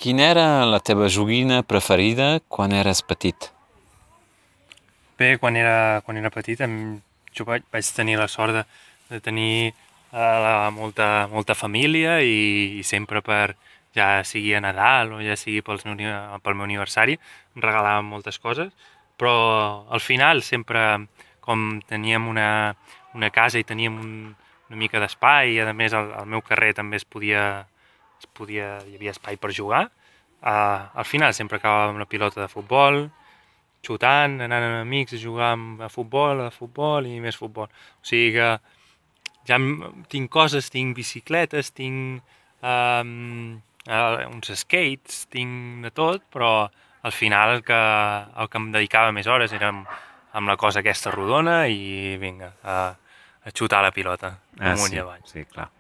Quina era la teva joguina preferida quan eres petit? Bé, quan era petit jo vaig tenir la sort de tenir molta família i sempre ja sigui a Nadal o ja sigui pel meu aniversari, em regalaven moltes coses, però al final sempre, com teníem una casa i teníem una mica d'espai i a més al meu carrer també hi havia espai per jugar, al final sempre acabàvem la pilota de futbol, xutant, anant amb amics a jugar a futbol i més futbol. O sigui que ja tinc coses, tinc bicicletes, tinc uns skates, tinc de tot, però al final el que em dedicava més hores era amb la cosa aquesta rodona i vinga, a xutar la pilota, amunt i Sí, avall. sí, clar.